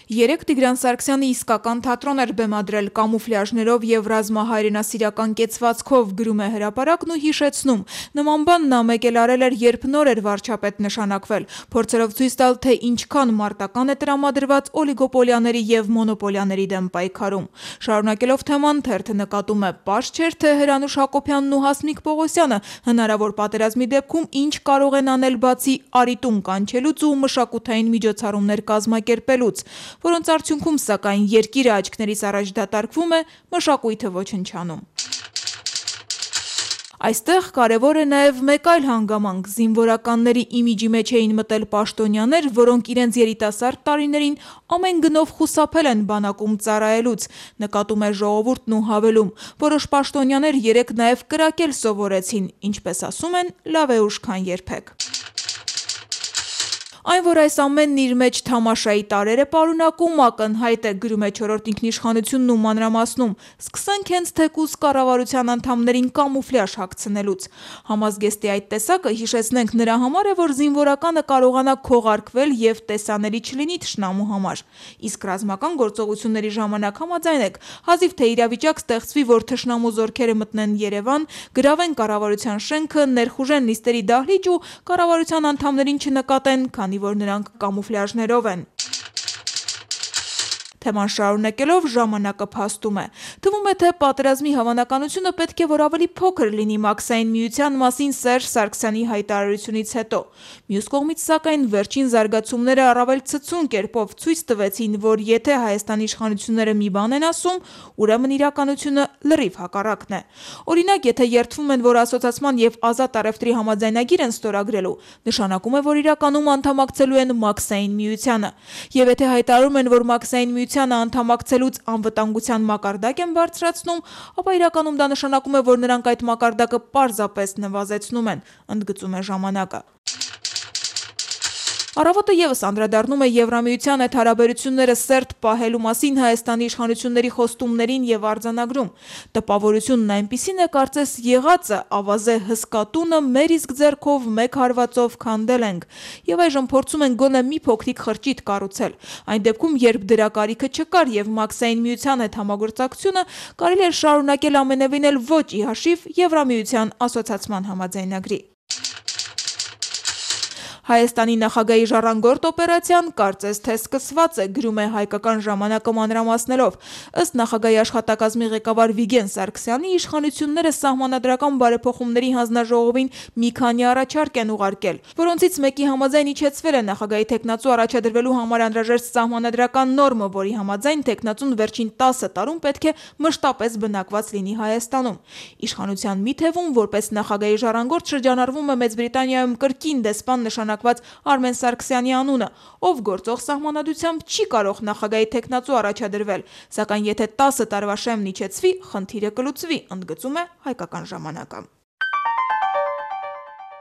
Երեկ Տիգրան Սարգսյանը իսկական թատրոն էր բեմադրել կամուֆլյաժներով եւ ռազմահայրենասիրական կեցվածքով, գրում է Հրապարակն ու հիշեցնում. նման բան նա մեկ էլ արել էր, երբ նոր էր վարչապետ նշանակվել, փորձելով ցույց տալ, թե ինչքան մարտական է տրամադրված օլիգոպոլիաների եւ մոնոպոլիաների դեմ պայքարում։ Շարունակելով թեման, թերթը նկատում է, պարզ չէր, թե Հրանուշ Հակոբյանն ու Հասմիկ Պողոսյանը հնարավոր պատերազմի դեպքում ինչ կարող են անել բացի արիտուն կանչելուց ու մշակութային միջոցառումներ կազմակերպելուց, որոնց արդյունքում, սակայն, երկիրը աչքներից առաջ դատարկվում է, մշակույթը ոչնչանում։ Այստեղ կարևոր է նաև մեկ այլ հանգամանք՝ զինվորականների իմիջի մեջ էին մտել պաշտոնյաներ, որոնք իրենց երիտասարդ տարիներին ամեն գնով խուսափել են բանակում ծառայելուց, նկատում է Ժողովուրդն ու հավելում. որոշ պաշտոնյաներ երեկ նաև կրակել սովորեցին, ինչպես ասում են, լավ է ուշ, քան երբեք։ Այն, որ այս ամենն իր մեջ թամաշայի տարեր է պարունակում, ակնհայտ է, գրում է Չորրորդ ինքնիշխանությունն ու մանրամասնում, սկսենք հենց թեկուզ կառավարության անդամներին կամուֆլյաժ հագցնելուց։ Համազգեստի այդ տեսակը, հիշեցնենք, նրա համար է, որ զինվորականը կարողանա քողարկվել եւ տեսանելի չլինի թշնամու համար։ Իսկ ռազմական գործողությունների ժամանակ համաձայնեք, հազիվ թե իրավիճակ ստեղծվի, որ թշնամու զորքերը մտնեն Երևան, գրավեն կառավարության շենքը, ներխուժեն նիստերի դահլիճ ու կառավարության անդամներին չնկատեն, քանի որ նրանք կամուֆլյաժներով են։ Թեման շարունակելով ժամանակը փաստում է. թվում է, թե պատերազմի հավանականությունը պետք է որ ավելի փոքր լինի Մաքսային միության մասին Սերժ Սարգսյանի հայտարարությունից հետո։ Մյուս կողմից, սակայն, վերջին զարգացումները առավել ցցուն կերպով ցույց տվեցին, որ եթե Հայաստանի իշխանությունները մի բան են ասում, ուրեմն իրականությունը լրիվ հակառակն է։ Օրինակ, եթե երդվում են, որ ասոցիացման եւ ազատ առևտրի համաձայնագիր են ստորագրելու, նշանակում է, որ իրականում անդամակցելու են Մաքսային միությանը։ Եվ եթե հայտարարում են, որ Մաքսային անդամակցելուց անվտանգության մակարդակ են բարձրացնում, ապա իրականում դա նշանակում է, որ նրանք այդ մակարդակը պարզապես նվազեցնում են, ընդգծում է ժամանակը։ Առավոտը ևս անդրադառնում է Եվրամիության հետ հարաբերությունները սերտ պահելու մասին Հայաստանի իշխանությունների խոստումներին եւ արձանագրում։ Տպավորությունն այնպիսին է, կարծես եղածը ավազե հսկատունը մեր իսկ ձեռքով մեկ հարվածով քանդել ենք եւ այժմ փորձում են գոնե մի փոքրիկ խրճիթ կառուցել։ Այն դեպքում, երբ դրա կարիքը չկար եւ Մաքսային միության հետ համագործակցությունը կարելի էր շարունակել ամենևին էլ ոչ ի հաշիվ Եվրամիության ասոցիացման համաձայնագրի։ Հայաստանի նախագահի ժառանգորդ օպերացիան կարծես թե սկսված է, գրում է Հայկական ժամանակը մանրամասնելով։ Ըստ նախագահի աշխատակազմի ղեկավար Վիգեն Սարգսյանի, իշխանությունները սահմանադրական բարեփոխումների հանձնաժողովին մի քանի առաջարկ են ուղարկել, որոնցից մեկի համաձայն իջեցվել է նախագահի թեկնածու առաջադրվելու համար անհրաժեշտ սահմանադրական նորմը, որի համաձայն թեկնածուն վերջին 10 տարում պետք է մշտապես բնակված լինի Հայաստանում։ Իշխանության մի թևում, որպես նախագահի ժառանգորդ, շրջանառվում է Մեծ Բրիտանիայում կրկին դեսպան նշանակված Արմեն Սարգսյանի անունը, ով գործող սահմանադրությամբ չի կարող նախագահի թեկնածու առաջադրվել, սակայն եթե 10 տարվա շեմն իջեցվի, խնդիրը կլուծվի, ընդգծում է Հայկական ժամանակը։